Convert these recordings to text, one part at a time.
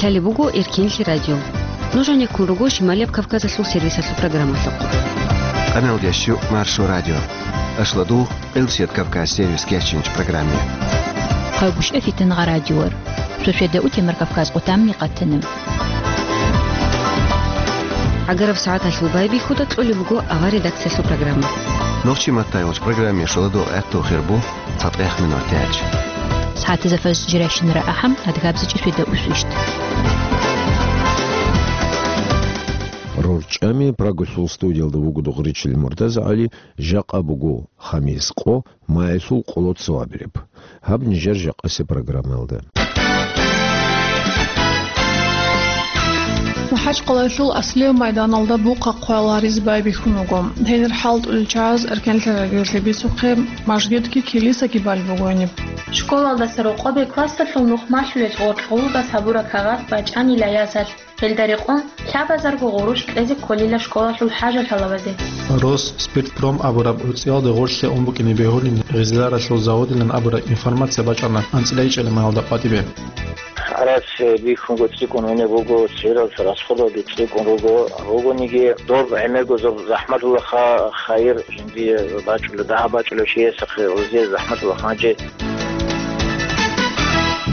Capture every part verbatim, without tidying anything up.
Лъалеб буго Эркенлъи радио. Нуж гьанеккун руго Шималияб Кавказалъул сервисалъул программалъухъ. Къаналдящу Маршо радио. Ашладу Къилсият Кавказ сервис кечинч программе. Хъагушев Фитангъа радиор. Шошеда утемар Кавказ къутамни къатана. Агараб сагӀаталъул байбихьуда кьолеб буго авар редакциялъул программа. Нохчи маттайгъуч программе шоладу гӀехту хирбу. ЦатӀех минут тяч. СагӀатизафас жиращинара ахӀам, адгабзичӀи сведа усвищт. РорчӀами Прагалъул студиялда вуго Дугъричил Муртаза ГӀали, жакъа буго хамис къо, маялъул къоло цо абилеб. Гьаб нижер жакъасе программаялда. МахӀачкъалаялъул аслияб майданалда бухъа хъваял гьаризе байбихьун вуго. Гьенир хӀалтӀулел чагӀаз Эркенлъи радиоялъе бицухъе, мажгитги килисаги балеб буго гьениб. Школалдаса рокъобе классалъул нухмалъулел гъоркь гъулубас гьабураб кагъат бачӀанила ясалъ, гьелда рекъон лъабазарго гъурущ кьезе кколила школалъул хӀажалъалабазе. Росспиртпром абураб гӀуцӀиялда гъорлъе ун букӀине бегьулин гъизиларалъул заводилан абураб информация бачӀана анцӀила ичӀелемаялда къватӀибе. Арас бихьунго цӀикӀкӀун гьунеб буго, цералъ расходалги цӀикӀкӀун руго. Ругониги доб гӀемерго зоб захӀматулаха хайир жиндие бачӀула, дагьа бачӀула чиясахъе, гъузе захӀматулаха гьанже.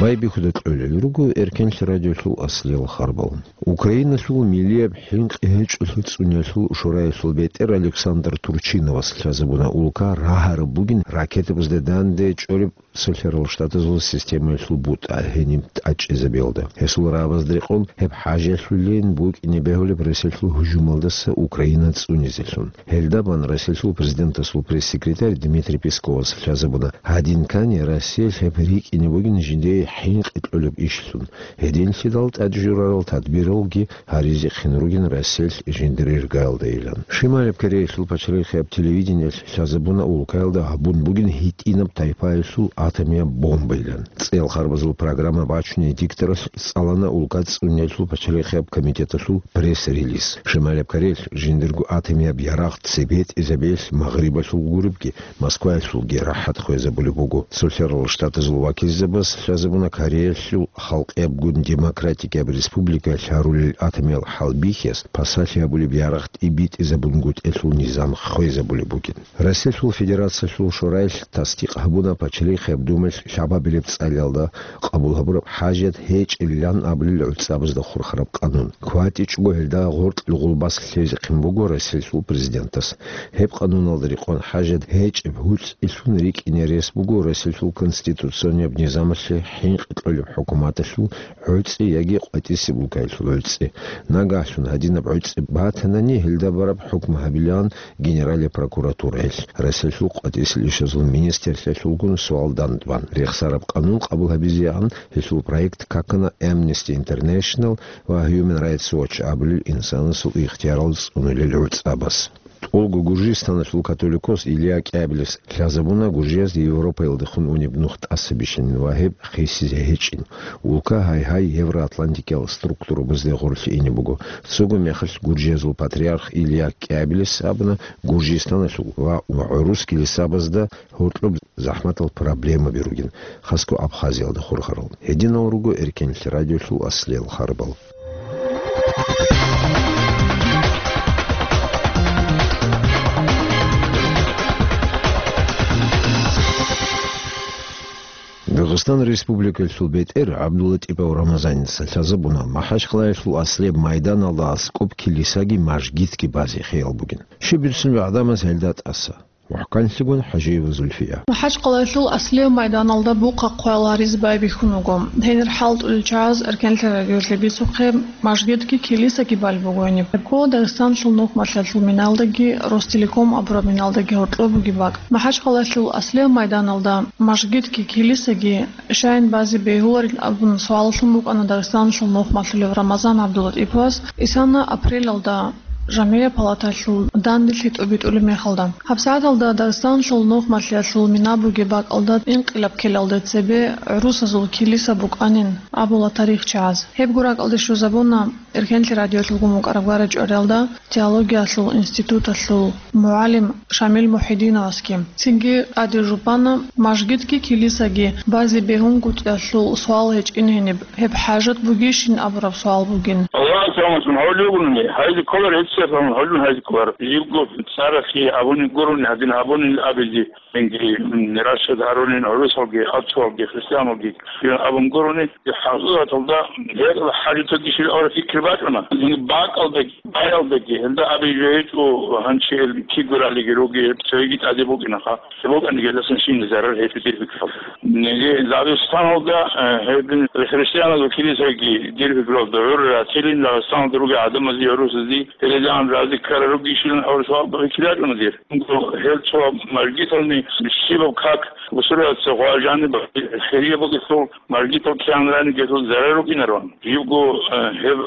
Байбихьуда кьолел руго Эркенлъи радиолъул аслиял харбал. Украиналъул милияб хӀинкъи гьечӀолъи цӀуниялъул шораялъул бетӀер Александр Турчиновас лъазабуна улка рагьараб бугин ракетабазда данде чӀореб Цолъарал Штатазул системаялъул бутӀа гьениб тӀачӀизабиялда. Гьесул рагӀабазда рекъон гьеб хӀажалъулин букӀине бегьулеб Россиялъул гьужумалдаса Украина цӀунизелъун. Гьелда бан Россиялъул президентасул пресс-секретарь Дмитрий Песковас лъазабуна, гьадинкани Россиялъ гьеб рикӀкӀине бугин жиндие хӀинкъи кьолеб ишлъун. Гьединлъидал тӀад журарал тадбиралги гьаризехъин ругин Россиялъ жиндир иргаялдайилан. Шималаб Кореялъул пачалихъияб телевидениялъ лъазабуна улкаялда гьабун бугин гьитӀинаб тайпаялъул атомияб бомбайилан. ЦӀел харбазул программа бачуней дикторалъ цӀалана улка цӀуниялъул пачалихъияб комитеталъул пресс-релиз. Шималаб Кореялъ жиндирго атомияб ярагъ цебетӀизабиялъ Магърибалъул гуребги, Москваялъулги рахӀат хвезабулеб буго. Цолъарал Штатазул вакилзабаз лъазабуна Кореялъул халкъияб гун демократикияб республикаялъ гьарулел атомиял хӀалбихьияс пасалъи гьабулеб ярагъ тӀибитӀизабунгутӀелъул низам хвезабулеб бугин. Россиялъул Федерациялъул Шораялъ тасдикъ гьабуна Пачалихъияб Думаялъ лъабабилеб цӀалиялда къабул гьабураб хӀажат гьечӀебилан абулел гӀуцӀабазда хурхараб къанун. КватӀичӀого гьелда гъоркьлъи гъулбас лъезехъин буго Россиялъул президентас. Гьеб къануналда рекъон хӀажат гьечӀеб гьуцӀилъун рикӀкӀине рес буго Россиялъул конституционияб низамалъе хӀинкъи кьолеб хӀукуматалъул гӀуцӀи яги къватӀисеб улкаялъул гӀуцӀи. Нагагьлъун гьадинаб гӀуцӀи батанани, гьелда бараб хӀукму гьабилаан Генералияб прокуратураялъ. Россиялъул къватӀисел ишазул министрлъиялъулгун суал дандбан. Рехсараб къанун къабул гьабизегӀан гьелъул проект какана Amnesty International ва Human Rights Watch абулел инсанасул ихтиярал цӀунулел гӀуцӀабаз. ТӀолго Гуржистаналъул католикос Илья КӀиабилис лъазабуна гуржиязда Европаялдехун унеб нух тӀаса бищин ва гьеб хисизе гьечӀин. Улка гьай-гьай евроатлантикиял структурабазде гъорлъе ине буго. Цого мехалъ гуржиязул патриарх Илья КӀиабилис абуна Гуржистаналъул ва гӀурус килисабазда гьоркьоб захӀматал проблемаби ругин, хасго Абхазиялда хурхарал. Гьединал руго Эркенлъи радиолъул аслиял харбал. Дагъистан Республикалъул бетӀер ГӀабдуллатӀипов Рамазаница лъазабуна, МахӀачкъалаялъул аслияб майданалда аскӀоб килисаги мажгитги базе хиял бугин. Щиб бицунеб гӀадамаз гьелда тӀаса? МухӀканлъигун ХӀажиева Зульфия. МахӀачкъалаялъул аслияб майданалда бухъа хъваял гьаризе байбихьун вуго. Гьенир хӀалтӀулел чагӀаз Эркенлъи радиоялъе бицухъе, мажгитги килисаги балеб буго гьениб. Гьеб ккола Дагъистаналъул нухмалъиялъул миналдаги, Ростелеком абураб миналдаги гьоркьоб бугеб бакӀ. МахӀачкъалаялъул аслияб майданалда мажгитги килисаги щайин базе бегьуларил абун суаллъун букӀана Дагъистаналъул нухмалъулев Рамазан ГӀабдуллатӀиповас. Исана апрелалда жамгӀия палаталъул данделъи тӀобитӀулеб мехалда. ГьабсагӀаталда Дагъистаналъул нухмалъиялъул мина бугеб бакӀалда инкъилаб ккелалде цебе гӀурусазул килиса букӀанин абула тарихчияз. Гьебго ракӀалде щвезабуна Эркенлъи радиолъулгун букӀараб гара-чӀвариялда теологиялъул институталъул мугӀалим Шамил Мухьидиновасги. Цинги тӀаде жубана, мажгитги килисаги базе бегьунгутӀиялъул суал гьечӀин гьениб, гьеб хӀажат бугищин абураб суал бугин. Аллагьас рахӀматун гьавли вугони, гьайзе кколар, гьечӀеб гьавлун гьайзе кколар. Живго цӀарахъе абуни гурони, гьадин абуни абизе. Инги, м, рашад гьарулин гӀурусалги, аццуалги, христианалги, абун гурони, хӀакъикъаталда гьеб хӀажаталги щиб гьавра фикир бачӀуна. Инги бакӀалдаги, баялдаги, гьелда абизе гьечӀо, гьанчи гьел кигуралиги руги, цоги тӀаде букӀинаха. БукӀаниги гьелдасан щиб зарар гьечӀо дир фикралда. Инги Дагъистаналда, э, гьеб христианалги килисаги дир фикралда гӀур ратилин, Дагъистаналда руги гӀадамазе, гӀурусазе, гьелезегӀан рази ккарал ругищилан гьавра суал фикир бачӀуна дир. Гьел цо мажгитални щибаб как бусурбабаца гъважани хирияб бугелъул, мажгитал кигӀанани гьелъул зарар рукӀинароан. Живго, э, гьеб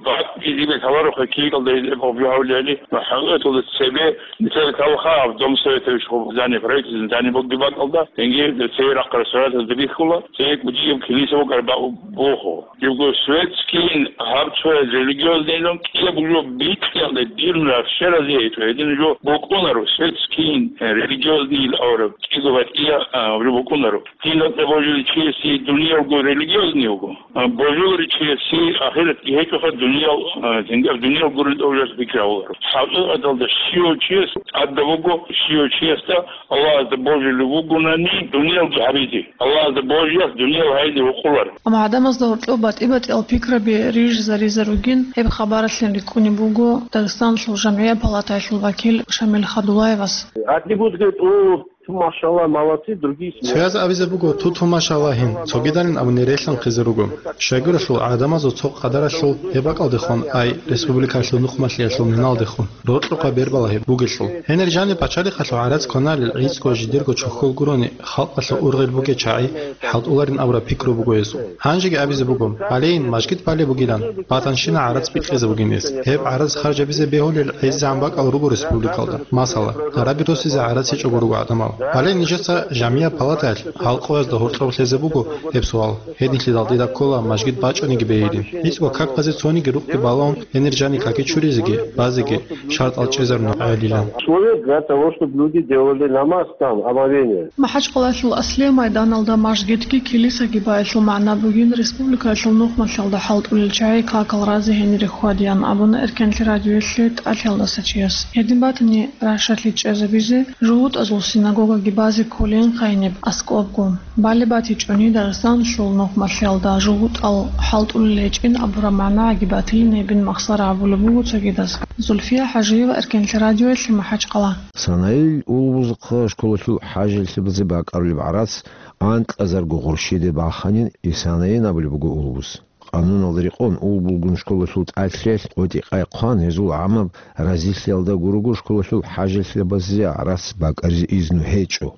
бакӀги жибе лъалароха кигӀалда гьеб гьавлиали ва хӀакъикъаталда цебе нилъеда лъалаха гьаб Дом Советович гьаб здание, правительственное здание бугеб бакӀалда, инги цее рахъ ресторатазда бихьула, цее кӀудияб килиса букӀараб буху. Живго светскийин гьаб цояз религиозныйлъун кӀияб жо бикьиялда дирун рахщеразе гьечӀо, гьедин жо букӀунаро, светскийин, э, религиозныйил авараг кӀиго батӀия, а, жо букӀунаро. Дин гьаб божиличиясе дуниялго религиозный вуго, а, божиличиясе ахиратги гьечӀоха, дуниял, а, тингаб дуниял гурин тӀовжас пикравуларо. ХӀакъикъаталда щивав чияс тӀадаб буго, щивав чиясда Аллагьасда божилев вугонани дуниялги гьабизе. Аллагьасда божиялъ дуниял гьайзе гьукъулар. Амма гӀадамазда гьоркьоб батӀи-батӀиял пикраби рижизаризе ругин, гьеб хабаралъин рикӀкӀунеб буго Дагъистаналъул жамгӀия палатаялъул вакил Шамил Хадулаевас. Одни будут говорить: «О, ту, машалла, молодцы», другие смеются. Цояз абизе буго: «Ту, ту, машалла, гьин», цогидалин абуни релъанхъизе руго. Щайгурелъул гӀадамазул цо къадаралъул гьеб бакӀалдехун, ай, республикалъул нухмалъиялъул миналдехун. Рокьукъа бербала гьеб бугелъул. Гьенир жаниб пачалихъалъул гӀарац кваналел гӀицӀго жидерго чохьол гурони, халкъалъул ургъел бугел чагӀи хӀалтӀуларин абураб пикру буго гьезул. Гьанжеги абизе буго, гьалейин мажгит балеб бугилан, батанщина гӀарац бикьизе бугин гьес. Гьеб гӀарац харжабизе бегьулел гӀезегӀан бакӀал руго республикалда. Масала, гьараби росизе гӀарац гьечӀого руго гӀадамал. Гьале нижеца жамгӀия палатаялъ гьал къоязда гьоркьоб лъезе буго гьеб суал. Гьединлъидал дида ккола мажгит бачӀаниги бегьилин. ГӀицӀго каказе цониги рукъги балаун, гьенир жаниб каки чуризеги, базеги шартӀал чӀезарун гӀелилан. Условия для того, чтобы люди делали намаз там, омовение. МахӀачкъалалъул аслияб майданалда мажгитги килисаги байилъул магӀна бугин республикаялъул нухмалъиялда хӀалтӀулел чагӀи какал разе гьенире хьвадеян абуна Эркенлъи радиоялъе тӀалъиялдаса чияс. Гьедин батани, рашалъи чӀезабизе жугьутӀазул синагогаги базе кколин гьаниб аскӀобго. Балеб батичӀони Дагъистаналъул нухмалъиялда жугьутӀал хӀалтӀулел гьечӀин абураб магӀнагӀаги батилин гьебин махсара абулеб буго цогидаз. Зульфия ХӀажиева, Эркенлъи радиоялъе, МахӀачкъала. Санаил улбузухъа школалъул хӀажалъабазе бакӀарулеб гӀарац анкьазарго гъурщиде баханин, Исанаин абулеб буго улбуз. Къануналда рекъон улбулгун школалъул тӀалъиялъ къотӀи-къай хъван, гьезул гӀамаб разилъиялда гурого школалъул хӀажалъабазе гӀарац бакӀаризе изну гьечӀо,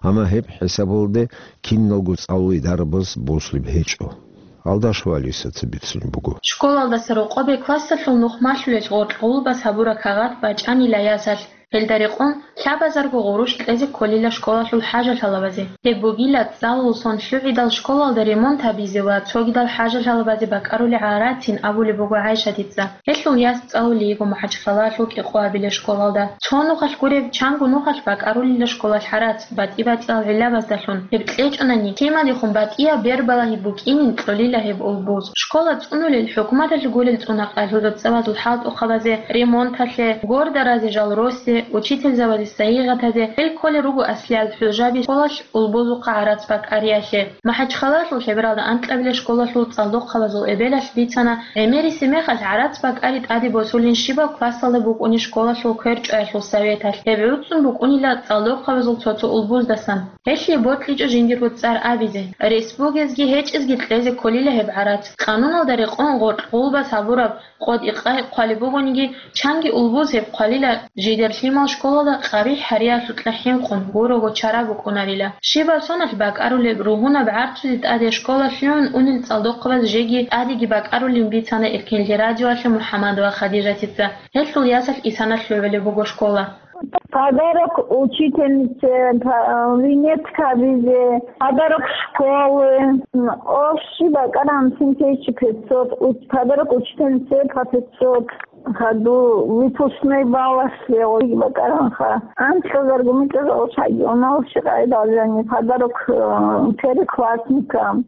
амма гьеб хӀисабалде киналго цӀалулей дарабаз босулеб гьечӀо. Алдашева Алисаца бицунеб буго. Школалдаса рокъобе классалъул нухмалъулел гъоркь гъулбас гьабураб кагъат бачӀанила ясалъ. Гьелда рекъон лъабазарго гъурущ кьезе кколила школалъул хӀажалъалабазе. Гьеб бугила цӀалул сон лъугӀидал школалда ремонт гьабизе ва цогидал хӀажалъалабазе бакӀарулел гӀарацин абулеб буго ГӀайшатица. Гьелъул яс цӀалулей йиго МахӀачхъалалъул КӀикъоабилеб школалда. Цо нухалъ гуреб, чанго нухалъ бакӀарулила школалъ гӀарац, батӀи-батӀиял гӀиллабаздалъун. Гьеб кьечӀонани, кемалихун батӀияб бербалагьи букӀинин кьолила гьеб улбуз. Школа цӀунулел, хӀукуматалъ гурел цӀунахъалъул рацӀцӀабазул хӀалтӀухъабазе, ремонталъе, гордаразе жал росе, учительзабазе сайигъатазе, гьел кколел руго аслиял хӀужаби школалъ улбузухъа гӀарац бакӀариялъе. МахӀачхъалалъул лъебералда анкьабилеб школалъул цӀалдохъабазул эбелалъ бицана, гӀемерисеб мехалъ гӀарац бакӀари тӀаде босулин щибаб классалда букӀунеб школалъул кверчӀоялъул советалъ. Гьеб гӀуцӀун букӀунила цӀалдохъабазул цо-цо улбуздасан. Гьелъие бокьичӀо жиндирго цӀар абизе. Рес бугезги гьечӀезги кьезе кколила гьеб гӀарац. Къануналда рекъон гъоркь гъулбас гьабураб къотӀи-къай хъвалеб бугониги, чанги улбуз гьеб хъвалила жидерлъи Гьимал школалда къабихӀ гьариялъукьа хӀинкъун, гурого чара букӀунарила. Щибаб соналъ бакӀарулеб, ругьунаб гӀарцуде тӀаде школалъ лъугӀун унел цӀалдохъабаз жеги тӀадеги бакӀарулин бицана Эркенлъи радиоялъе МухӀаммадова Хадижатица. Гьелъул ясалъ Исана лъугӀулеб буго школа. Подарок учительнице, па-, винетка бизе, подарок школы, м, общий бакӀаран семь тысяч пятьсот, уч-, подарок учительнице по пятьсот. Хаду выпускной баллалъе гъоги бакӀаранха. Анкьазарго микьазал шайги, унал щикъай должение, подарок, э, первоклассникам.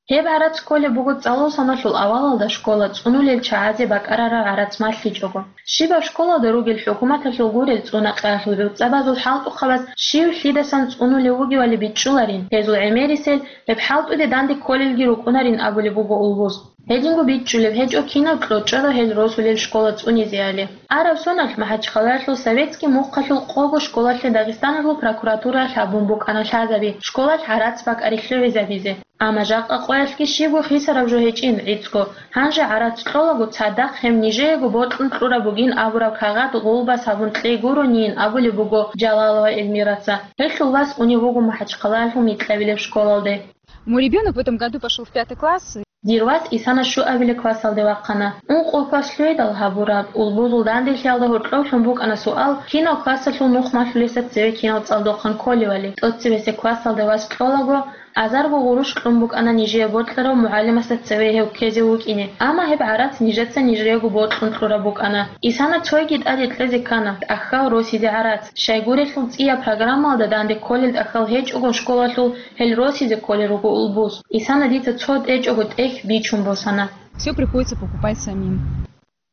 Гьеб гӀарац кколеб буго цӀалул соналъул авалалда школа цӀунулел чагӀазе бакӀарараб гӀарац малъичӀого. Щибаб школалда ругел хӀукуматалъул гурел цӀунакъаялъул гӀуцӀабазул хӀалтӀухъабаз щив лъидасан цӀунулев вугевали бичӀчӀуларин, гьезул гӀемерисел гьеб хӀалтӀуде данде кколелги рукӀунарин абулеб буго улбуз. Гьединго бичӀчӀулеб гьечӀо кинав кьочӀого гьел росулел школа цӀунизеали. Араб соналъ МахӀачхъалаялъул Советский мухъалъул къого школалъе Дагъистаналъул прокуратураялъ гьабун букӀана лъазаби школалъ гӀарац бакӀари лъугӀизабизе. Амма жакъа къоялъги щибго хисараб жо гьечӀин гӀицӀго, гьанже гӀарац кьолаго цадахъ гьеб нижеего бокьун кьураб бугин абураб кагъат гъулбас гьабун кьей гуронийин абулеб буго Жалалова Эльмираца. Гьелъул вас унев вуго МахӀачхъалаялъул микьабилеб школалде. Мой ребёнок в этом году пошёл в пятый класс. Дир вас Исана щуабилеб классалде вахъана. Ункъо класс лъугӀидал гьабураб улбузул данделъиялда гьоркьовлъун букӀана суал, кинав классалъул нухмалъулесда цеве кинал цӀалдохъан кколевали. ТӀоцебесеб классалда вас кьолаго, азарго гъурущ кьун букӀана нижее бокьарав мугӀалимасда цеве гьев ккезе вукӀине. Амма гьеб гӀарац нижеца нижеего бокьун кьураб букӀана. Исана цойги тӀаде кьезе ккана, тӀахьал росизе гӀарац. Щайгурелъул цӀияб программалда данде кколел тӀахьал гьечӀого школалъул гьел росизе кколел руго улбуз. Исана дица цо тӀечӀого тӀехь бичун босана. Всё приходится покупать самим.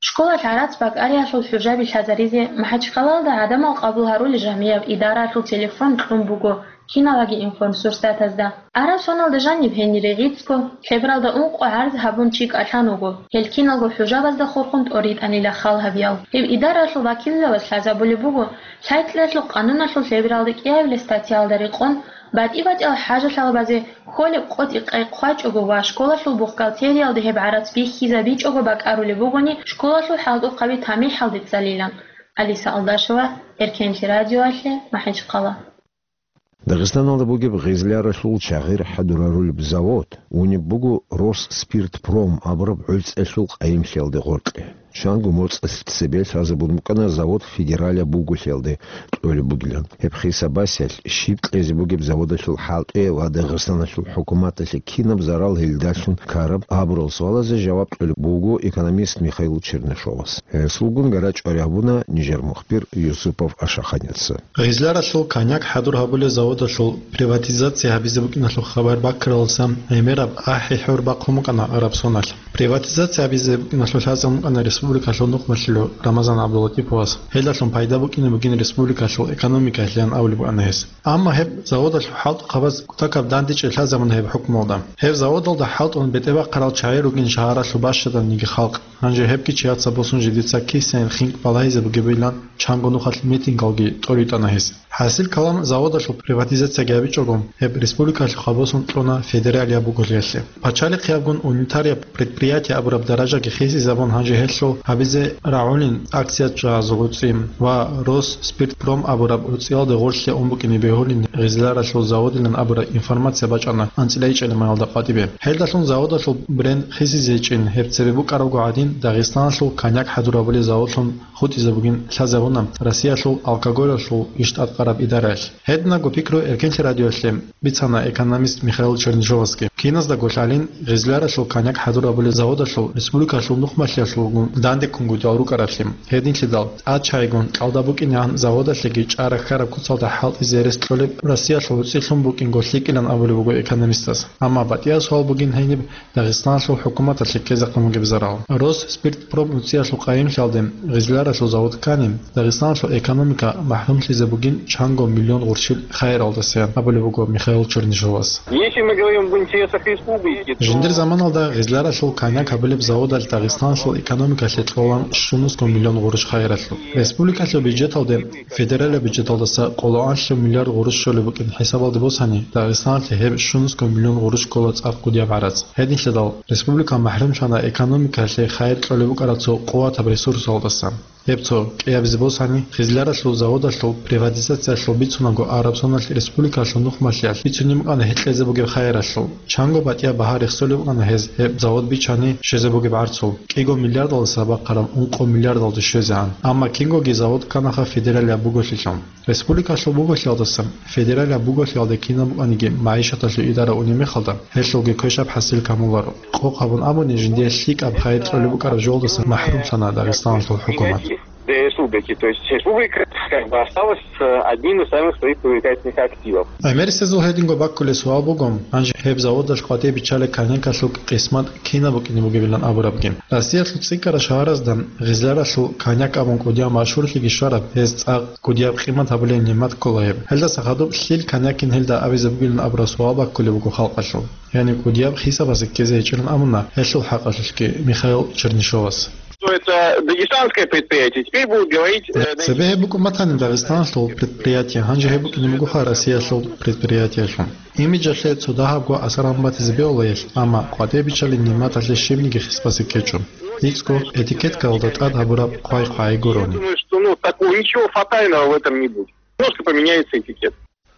Школалъ гӀарац бакӀариялъул хӀужаби лъазаризе МахӀачхъалалда гӀадамал къабул гьарулел жамияб идараялъул телефон кьун буго киналаги информсурсатазда. Араб соналда жаниб гьенире гӀицӀго, лъебералда ункъо гӀарз гьабун чи кӀалъан вуго. Гьел киналго хӀужабазда хурхун тӀоритӀанила хал гьабиял. Гьеб идараялъул вакиллъаваз лъазабулеб буго, лъай-кьеялъул къануналъул лъебералда кӀиабилеб статьялда рекъон, батӀи-батӀиял хӀажалъалабазе кколеб къотӀи-къай хъвачӀого ва школалъул бухгалтериялде гьеб гӀарац бихьизабичӀого бакӀарулеб бугони, школалъул хӀалтӀухъаби тамихӀалде цӀалилан. Алиса Алдашева, Эркенлъи радиоялъе, МахӀачхъала. Дагъистаналда бугеб гъезляралъул чагъир хӀадурарулеб завод унеб буго Росспиртпром абураб гӀуцӀиялъул къайимлъиялде гъоркье. Чанго моцӀалъ цебе лъазабун букӀана завод федералияб буголъиялде кьолеб бугилан. Гьеб хисабасиялъ щиб кьезе бугеб заводалъул хӀалтӀи ва Дагъистаналъул хӀукуматалъе кинаб зарал гьелдалъун ккараб абурал суалазе жаваб кьолеб буго экономист Михаил Чернышовас. Гьесулгун гара чӀвари гьабуна нижер мухбир Юсупов Ашаханица. Гъезляралъул коньяк хӀадур гьабулел заводалъул приватизация гьабизе букӀиналъул хабар баккаралдасан гӀемераб ахӀи-хӀур бахъун букӀана араб соналъ. Приватизация гьабизе букӀиналъул лъазабун букӀана республикалъул нухмалъулев Рамазан ГӀабдуллатиповас. Гьелдалъун пайда букӀине бугин республикалъул экономикалъеян абулеб букӀана гьес. Амма гьеб заводалъул хӀалтӀухъабаз кутакаб дандечӀей лъазабуна гьеб хӀукмуялда. Гьеб заводалда хӀалтӀун бетӀербахъарал чагӀи ругин шагьаралъул бащаданниги халкъ. Гьанже гьебги чияца босун жидеца кисаен хинкӀ балагьизе бугебилан чанго нухалъ митингалги тӀоритӀана гьес. ХӀасил калам, заводалъул приватизацияги гьабичӀого, гьеб республикалъухъа босун кьуна федералияб буголъиялъе. Пачалихъиябгун унитарияб предприятие абураб даражаги хисизабун, гьанже гьелъул гьабизе рагӀулин акциячӀазул гӀуцӀи ва Росспиртпром абураб гӀуцӀиялда гъорлъе ун букӀине бегьулин гъезляралъул заводилан абураб информация бачӀана анцӀила ичӀелимаялда къватӀибе. Гьелдалъун заводалъул бренд хисизейчӀин, гьеб цебе букӀарабго гӀадин, Дагъистаналъул коньяк хӀадур гьабулел заводлъун хутӀизабугин лъазабуна Россиялъул алкоголалъул иш тӀадкъараб идараялъ. Гьединабго пикру Эркенлъи радиоялъе бицана экономист Михаил Чернышовасги. Киназдаго лъалин, гъезляралъул коньяк хӀадур гьабулел заводалъул республикалъул нухмалъиялъулгун дандеккунгутӀиялъул рукӀараблъи. Гьединлъидал тӀад чагӀигун кьалда букӀинегӀан заводалъеги чӀара хьараб куцалда хӀалтӀизе рес кьолеб Россиялъул гӀуцӀилъун букӀинго лъикӀилан абулеб буго экономистас. Амма батӀиял суал бугин гьениб Дагъистаналъул хӀукуматалъе ккезехъин бугеб зарал. Росспиртпром гӀуцӀиялъул къайимлъиялде гъезляралъул завод ккани, Дагъистаналъул экономика махӀрумлъизе бугин чанго миллион гъурчил хайир Алдасиян абулеб буго Михаил Чернышовас. Если мы говорим об интересах республики, то Жиндир заманалда гъизларалъул коньяк гьабулеб заводалъ Дагъистаналъул экономикалъе кьолаан щунусго миллион гъурущ хайиралъул. Республикалъул бюджеталде федералияб бюджеталдаса къолоанлъи миллиард гъурущ щолеб букӀин хӀисабалде босани, Дагъистаналъе гьеб щунусго миллион гъурущ ккола цӀакъ кӀудияб гӀарац. Гьединлъидал республика махӀрумлъана экономикалъе хайир кьолеб букӀараб цо къуватаб ресурсалдаса. Гьеб цо кӀиабизе босани, гъизларалъул заводалъул приватизациялъул бицунаго Арабсоналъ республикалъул нухмалъиялъ бицунеб букӀана гьекьезе бугеб хайиралъул. Чанго батӀияб багьа рехсолеб букӀана гьез гьеб завод бичани щвезе бугеб гӀарцул, кӀиго миллиардалдаса бахъараб ункъо миллиардалде щвезегӀан. Амма кингоги завод кканаха федералияб буголъилъун. Республикалъул буголъиялдасан федералияб буголъиялде кинаб букӀаниги магӀишаталъул идара унеб мехалда, гьелъулги квешаб хӀасил камуларо. Къокъ гьабун абуни, жиндие лъикӀаб хайир кьолеб букӀараб жолдаса махӀрумлъана Дагъистаналъул хӀукумат. Для республики. То есть республика как бы осталась с одним из самых своих привлекательных активов. ГӀемерисезул гьединго баккулеб суал буго, гьанже гьеб заводалъ къватӀибе биччалеб коньякалъул къисмат кинаб букӀине бугебилан абурабги. Россиялъул цӀикӀкӀараб шагьаразда гъизларалъул коньяк абун кӀудияб машгьурлъиги щвараб, гьез цӀакъ кӀудияб къимат гьабулеб нигӀмат ккола гьеб. Гьелдаса хадуб лъил коньякин гьелда абизе бугилан абураб суал баккулеб буго халкъалъул. Яни кӀудияб хӀисабазе ккезе гьечӀилан абуна гьелъул хӀакъалъулъги Михаил Чернышовас. Что это дагестанское предприятие, теперь будут говорить, э, Цебе гьеб букӀун батани Дагъистаналъул предприятие, гьанже гьеб букӀине бугоха Россиялъул предприятиялъул. Имиджалъе цо дагьабго асар гьабун батизе бегьулаялъ, амма къватӀибе биччалеб нигӀматалъе щибниги хисбазе ккечӀо. ЛъикӀго этикеткаялда тӀад гьабураб хъвай-хъвай гурони. Я думаю, что, ну, такого ничего фатального в этом не будет. Просто поменяется этикет.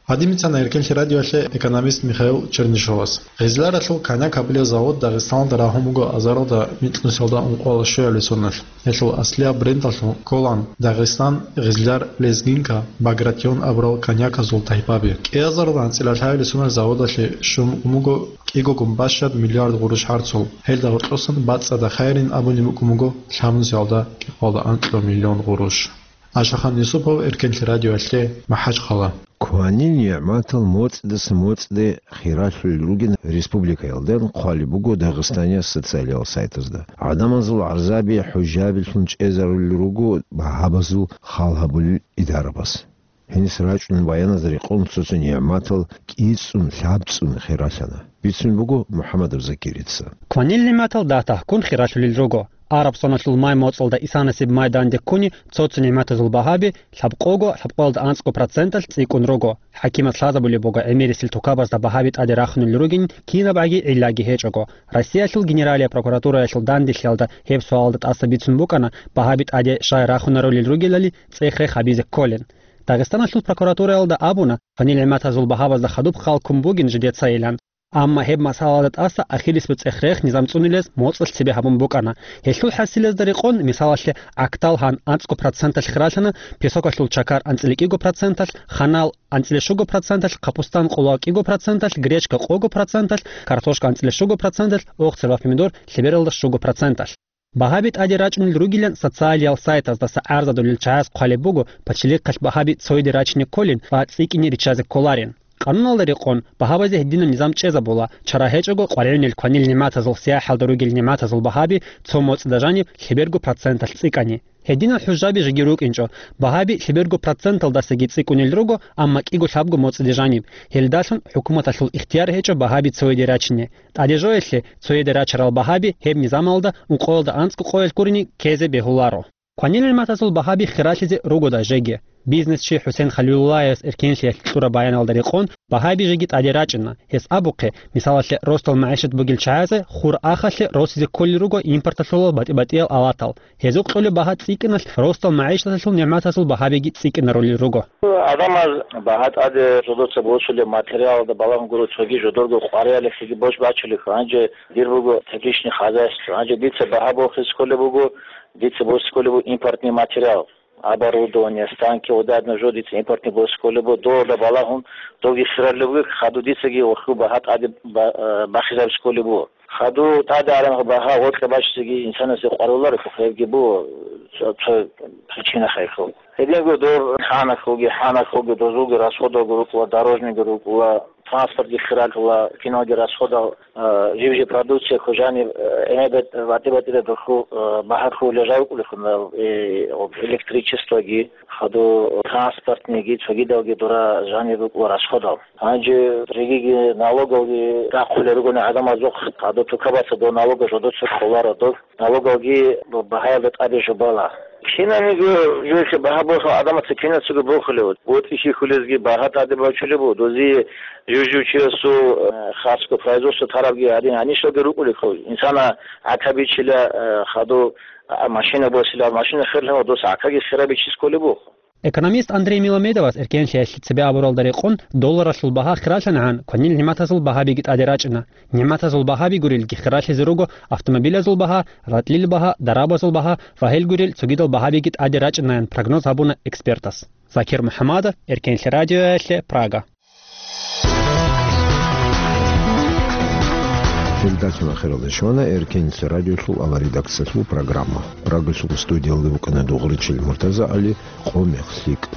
Гьадин бицана Эркенлъи радиоялъе экономист Михаил Чернышовас. Гъизларалъул коньяк гьабулеб завод Дагъистаналда рагьун буго азаралда микьнусиялда ункъоялда щуялъул соналъ. Гьелъул аслияб брендалъун кколаан Дагъистан, Гъизлар, Лезгинка, Багратион абурал коньяказул тайпаби. КӀиазаралда анцӀила лъабилеб соналъ заводалъе щун букӀун буго кӀигогун бащад миллиард гъурущ гӀарцул. Гьелда гьоркьосан бацӀцӀадаб хайирин абулеб букӀун буго лъабнусиялда кӀикъоялда анкьа миллион гъурущ. Ашахан Юсупов, Эркенлъи радиоялъе, МахӀачхъала. Кванил нигӀматал моцӀидаса моцӀиде хиралъулел ругин республикаялда хъвалеб буго Дагъистаниялъ социалиял сайтазда. ГӀадамазул гӀарзаби хӀужабилъун чӀезарулел руго багьабазул хал гьабулел идарабаз. Гьениса рачӀунел баяназда рекъон цо-цо нигӀматал кӀицӀун, лъабцӀун хиралъана. Бицун буго МухӀаммадов Закирица. Кванил нигӀматал дагь-тагьккун хиралъулел руго. Араб соналъул май моцӀалда исанасеб май данде ккуни цо-цо нигӀматазул багьаби лъабкъого, лъабкъоялда анцӀго проценталъ цӀикӀкӀун руго. ХӀакимаз лъазабулеб буго гӀемерисел тукабазда багьаби тӀаде рахунел ругин кинабгӀаги гӀиллаги гьечӀого. Россиялъул Генералияб прокуратураялъул данделъиялда гьеб суалалда тӀаса бицун букӀана, багьаби тӀаде щай рахунарулел ругелали цӀех-рех гьабизе кколин. Дагъистаналъул прокуратураялда абуна, кванил нигӀматазул багьабазда хадуб хал ккун бугин жидецайилан. Амма гьеб масъалаялда тӀаса ахирисеб цӀех-рех низам цӀунилез моцӀалъ цебе гьабун букӀана. Гьелъул хӀасилазда рекъон, мисалалъе, Актал гьан анцӀго проценталъ хиралъана, песокалъул чакар анцӀила кӀиго проценталъ, ханал анцӀила щуго проценталъ, капустан къоло кӀиго проценталъ, гречка къого проценталъ, картошка анцӀила щуго проценталъ, огъцер ва помидор лъебералда щуго проценталъ. Багьаби тӀаде рачӀунел ругилан социалиял сайтаздаса гӀарзадулел чагӀаз хъвалеб буго, пачалихъалъ багьаби цояде рачине кколин ва цӀикӀкӀине риччазе кколарин. Къануналда рекъон, багьабазе гьединаб низам чӀезабула, чара гьечӀого къваригӀунел кванил нигӀматазул сияхӀалда ругел нигӀматазул багьаби цо моцӀида жаниб лъеберго проценталъ цӀикӀкӀани. Гьединал хӀужаби жеги рукӀинчӀо, багьаби лъеберго проценталдасаги цӀикӀкӀунел руго, амма кӀиго-лъабго моцӀиде жаниб. Гьелдалъун хӀукуматалъул ихтияр гьечӀо багьаби цояде рачине. ТӀадежоялъе цояде рачарал багьаби гьеб низамалда ункъоялда анцӀго къоялъ гурони ккезе бегьуларо. Кванил нигӀматазул багьаби хиралъизе ругода жеги. Бизнесчи ХӀусен Халилуллаевас Эркенлъиялъ кьураб баяналда рекъон, багьаби жеги тӀаде рачӀуна. Гьес абухъе, мисалалъе, росдал магӀишат бугел чагӀазе хур ахалъе росизе кколел руго импорталъулал батӀи-батӀиял алатал. Гьезухъ кьолеб багьа цӀикӀкӀиналъ росдал магӀишаталъул нигӀматазул багьабиги цӀикӀкӀинарулел руго. Адамаз багьа тӀаде жодоца босулеб материалалда балагьун гуро цоги жодорго къваригӀеллъиги бош бачулеб. Гьанже дир буго тепличный хозяйство. Гьанже дица багьа борхизе кколеб буго, дица босизе кколеб буго импортный материал. Оборудование, станки, одадна жо дица импортный босизе кколеб буго, долда балагьун, доги хиралев вугеб, хаду дицаги ваху багьа тӀаде ба-, э, бахизабизе кколеб буго. Хаду тӀаде аран багьа гъоркье бачизеги инсанасе къваруларо, хъебги буго, цо, цо причина хайхъу. Гьединго дор хӀанахъуги, хӀанахъуги, дозулги расходалго рукӀула, дорожныйги рукӀула. транспортги хиралъула, киналги расходал, э, жив-жив продукция хъужани, э, гӀемер батӀи-батӀида духу, э, багьа хъулел жавкӀулехун, э, электричествоги, хаду транспортниги, цогидалги дура жанир рукӀула расходал. Гьанже жегиги налогалги рахъулел ругони гӀадамазухъ, хаду тукабаца дов налога жодоца холаро дов. Налогалги багьаялда тӀаде жубала. Кинаниго жуялъе багьа борхун гӀадамаца кинацаго борхулев. БутӀи хьихьулезги багьа тӀаде бачулеб буго. Дозие жив-жив чиясул, э, хасго производство тарабги гьадин гьанишалги рукӀулехъо. Инсана гӀака бичила, э, хаду, а, машина босила, машина херлъана, дос гӀакаги херабичи кколеб буго. Экономист Андрей Миламедовас эркенлъиялъе цебе абуралда рекъон долларалъул багьа хиралъанагӀан кванил нигӀматазул багьабиги тӀаде рачӀана. НигӀматазул багьаби гурелги хиралъизе руго автомобилазул багьа, ратӀлил багьа, дарабазул багьа ва гьел гурел цогидал багьабиги тӀаде рачӀанаян прогноз гьабуна экспертас. Закир МухӀамадов, Эркенлъи радиоялъе, Прага. Передача ахиралде щвана Эркенлъи радиолъул аваридакциялъул программа. Прагалъул студиялда букӀана Дугъричил МуртазагӀали, Къо-мех лъикӀ.